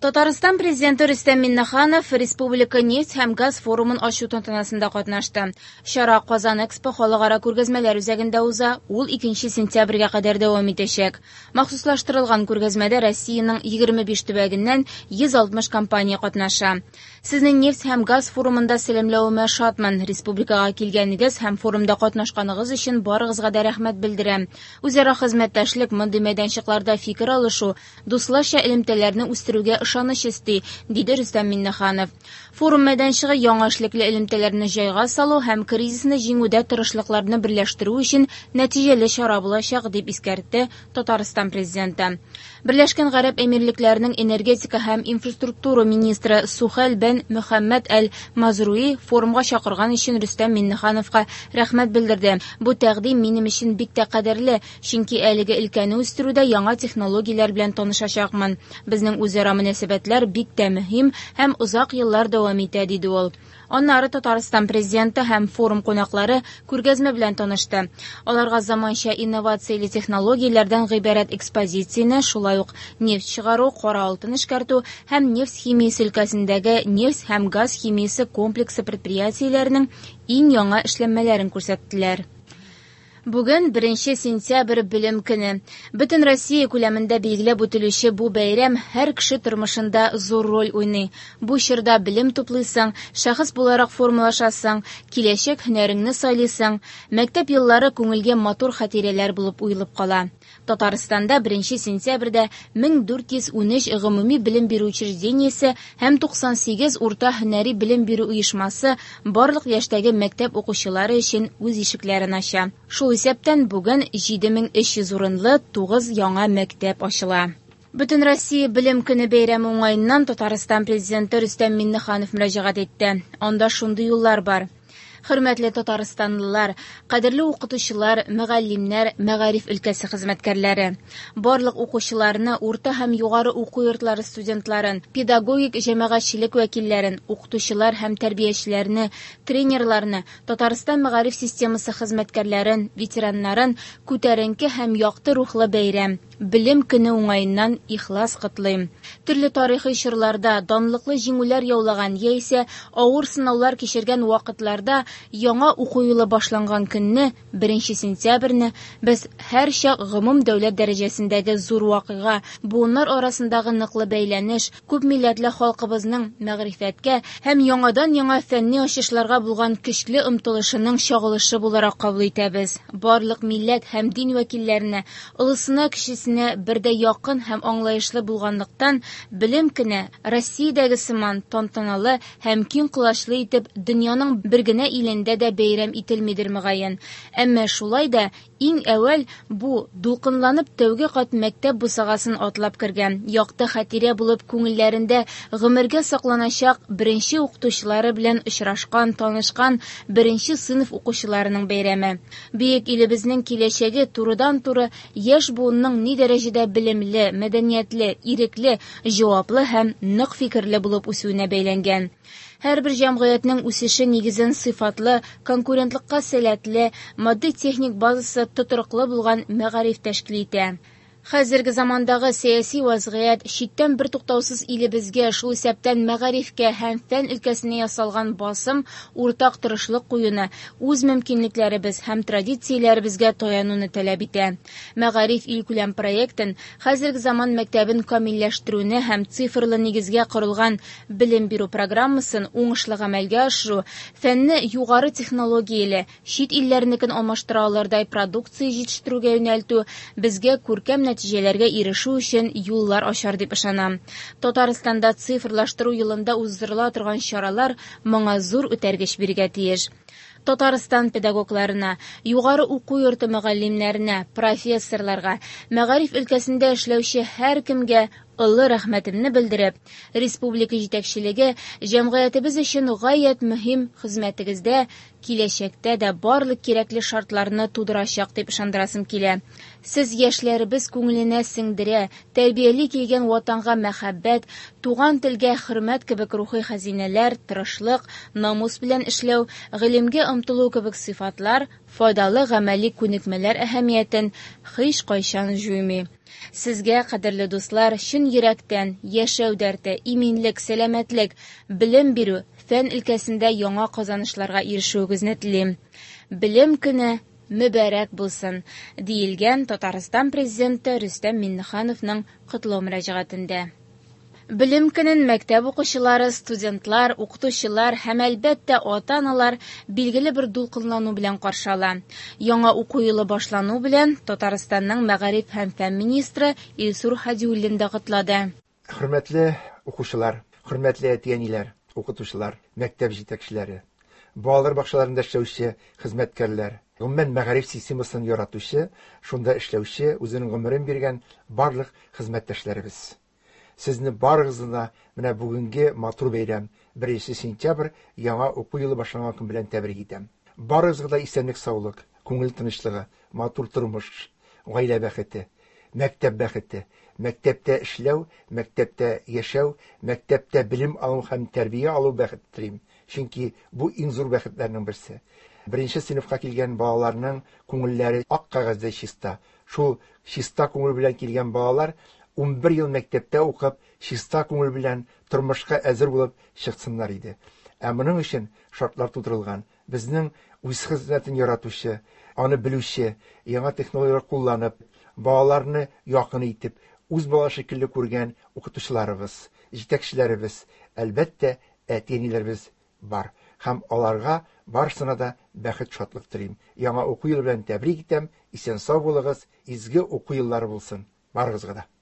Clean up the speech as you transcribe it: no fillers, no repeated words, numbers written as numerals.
Татарстан Президенты Рөстәм Миңнеханов республика нефть һәм газ форумын ачу тантанасында катнашты. Чара Казан Экспо халыкара күргәзмәләр үзәгендә уза, ул 2 сентябрьгә кадәр дәвам итәчәк. Махсуслаштырылган күргәзмәдә Россиянең 25 төбәгеннән 160 компания катнаша. Сезне нефть һәм газ форумында сәламләвемә шатмын. Республикага килгәнегез һәм форумда катнашканыгыз өчен барыгызга да рәхмәт белдерәм. Үзара хезмәттәшлек мондый мәйданчыкларда фикер алышу, дусларча элемтәләрне үстерүгә ышаныч өсти, диде Рөстәм Миңнеханов. Форум мәйданчыгы яңа эшлекле элемтәләрне җайга салу һәм кризисны җиңүдә тырышлыкларны берләштерү өчен нәтиҗәле чара булачак, дип искәртте Татарстан Президенты. Берләшкән Гарәп Әмирлекләренең энергетика һәм инфраструктура министры Сухәл бен Мөхәммәд әл-Мазруи форумга чакырган өчен Рөстәм Миңнехановка рәхмәт белдерде. Бу тәкъдим минем өчен бик тә кадерле, чөнки әлеге өлкәне үстерүдә яңа технологияләр белән танышачакмын. Безнең үзара мөнәсәбәтләр бик тә мөһим һәм озак еллар дәвам итә, диде ул. Аннары Татарстан Президенты һәм форум кунаклары күргәзмә белән танышты. Аларга заманча инновацияле технологияләрдән гыйбарәт экспозицияне, шулай ук нефть чыгару, кара алтын эшкәртү һәм нефть химиясе өлкәсендәге нефть һәм газ химиясе комплексы предприятиеләренең иң яңа эшләнмәләрен күрсәттеләр. Бүген 1 сентябрь белем көне. Бөтен Россия күләмендә билгеләп үтелүче бу бәйрәм һәр кеше тормышында зур роль уйный. Бу чорда белем туплыйсың, шәхес буларак формалашасың, киләчәк һөнәреңне сайлыйсың. Мәктәп еллары күңелгә матур хатирәләр булып уелып кала. Татарстанда 1 сентябрьдә 1413 гомуми белем бирү учреждениесе һәм 98 урта һөнәри белем бирү оешмасы барлык яшьтәге мәктәп укучылары өчен үз ишекләрен ача. Шул исәптән бүген 7300 урынлы 9 яңа мәктәп ачыла. Бөтен Россия белем көне бәйрәме уңаеннан Татарстан Президенты Рөстәм Миңнеханов мөрәҗәгать итте. Анда шундый юллар бар. Хөрмәтле татарстанлылар, кадерле укытучылар, мөгаллимнәр, мәгариф өлкәсе хезмәткәрләре. Барлык укучыларны, урта һәм югары уку йортлары студентларын, педагогик җәмәгатьчелек вәкилләрен, укытучылар һәм тәрбиячеләрне, тренерларны, Татарстан мәгариф системасы хезмәткәрләрен, ветераннарын күтәренке һәм якты рухлы бәйрәм, Белем көне уңаеннан ихлас котлыйм. Төрле тарихи чорларда данлыклы җиңүләр яулаган яисә авыр сынаулар кичергән вакытларда яңа уку елы башланган көнне, 1 сентябрьне, без һәрчак гомум дәүләт дәрәҗәсендәге зур вакыйга, буыннар арасындагы ныклы бәйләнеш, күпмилләтле халкыбызның мәгърифәткә һәм яңадан-яңа фәнни ачышларга булган көчле омтылышының чагылышы буларак кабул итәбез. Барлык милләт һәм дин вәкилләренә, олысына-кечесенә бердәй якын һәм аңлаешлы булганлыктан, белем көне Россиядәге сыман тантаналы һәм киң колачлы итеп дөньяның бер генә илендә дә бәйрәм ителмидер, мөгаен. Әмма шулай да Иң әүвәл бу, дулкынланып тәүге кат мәктәп бусагасын атлап кергән, якты хатирә булып күңелләрендә гомергә сакланачак беренче укытучылары белән очрашкан, танышкан беренче сыйныф укучыларының бәйрәме. Бөек илебезнең киләчәге турыдан-туры яшь буынның ни дәрәҗәдә белемле, мәдәниятле, ирекле, җаваплы һәм нык фикерле булып үсүенә бәйләнгән. Һәрбер җәмгыятьнең үсеше нигезен сыйфатлы, конкурентлыкка сәләтле, матди-техник базасы тотрыклы булган мәгариф тәшкил итә. Хәзерге замандагы сәяси вазгыять, читтән бертуктаусыз илебезгә, шул исәптән мәгарифкә һәм фән өлкәсенә ясалган басым уртак тырышлык куюны, үз мөмкинлекләребез һәм традицияләребезгә таянуны таләп итә. Мәгариф илкүләм проектын, хәзерге заман мәктәбен камилләштерүне һәм цифрлы нигезгә корылган белем бирү программасын уңышлы гамәлгә ашыру, фәнне югары технологияле, чит илләрнекен алмаштыра алырдай продукция җитештерүгә юнәлтү безгә күркәм нәтиҗәләргә ирешү өчен юллар ачар дип ышанам. Татарстанда цифрлаштыру елында уздырыла торган чаралар моңа зур этәргеч бирергә тиеш. Татарстан педагогларына, югары уку йорты мөгаллимнәренә, профессорларга, мәгариф өлкәсендә эшләүче һәркемгә олы рәхмәтемне белдереп, республика җитәкчелеге җәмгыятебез өчен гаять мөһим хезмәтегездә киләчәктә дә барлык кирәкле шартларны тудырачак дип ышандырасым килә. Сез яшьләребез күңеленә сеңдерә, тәрбияли килгән Ватанга мәхәббәт, туган телгә хөрмәт кебек рухи хәзинәләр, тырышлык, намус белән эшләү, гыйлемгә омтылу кебек сыйфатлар, файдалы гамәли күнекмәләр әһәмиятен һичкайчан җуймый. Сезгә, кадерле дуслар, чын йөрәктән яшәү дәрте, иминлек, сәламәтлек, белем бирү, фән өлкәсендә яңа казанышларга ирешүегезне телим. Белем көне мөбарәк булсын, диелгән Татарстан Президенты Рөстәм Миңнехановның котлау мөрәҗәгатендә. Белем көнен мәктәп укучылары, студентлар, укытучылар һәм, әлбәттә, ата-аналар билгеле бер дулкынлану белән каршы ала. Яңа уку елы башлану белән Татарстанның мәгариф һәм фән министры Илсур Һадиуллин да котлады. Хөрмәтле укучылар, хөрмәтле әти-әниләр, укытучылар, мәктәп җитәкчеләре, балалар бакчаларында эшләүче хезмәткәрләр, гомумән мәгариф системасын яратучы, шунда эшләүче, үзенең гомерен биргән барлык хезмәттәшләребез. Сезне барыгызны да менә бүгенге матур бәйрәм, 1 сентябрь яңа уку елы башланган көн белән тәбрик итәм. Барыгызга да исәнлек-саулык, күңел тынычлыгы, матур тормыш, гаилә бәхете, мәктәп бәхете, мәктәптә эшләү, мәктәптә яшәү, мәктәптә белем алу һәм тәрбия алу бәхете телим. Чөнки бу иң зур бәхетләрнең берсе. Беренче сыйныфка килгән балаларның күңелләре ак кәгазьдәй чиста. Шул чиста күңел белән килгән балалар 11 ел мәктәптә укып, чиста күңел белән тормышка әзер булып чыксыннар иде. Ә моның өчен шартлар тудырылган. Безнең үз хезмәтен яратучы, аны белүче, яңа технологияләр кулланып, балаларны якын итеп, үз бала шикелле күргән укытучыларыбыз, җитәкчеләребез, әлбәттә, әти-әниләребез бар. Һәм аларга барысына да бәхет, шатлык телим. Яңа уку елы белән тәбрик итәм. Исән-сау булыгыз, изге уку еллары булсын. Барыгызга да.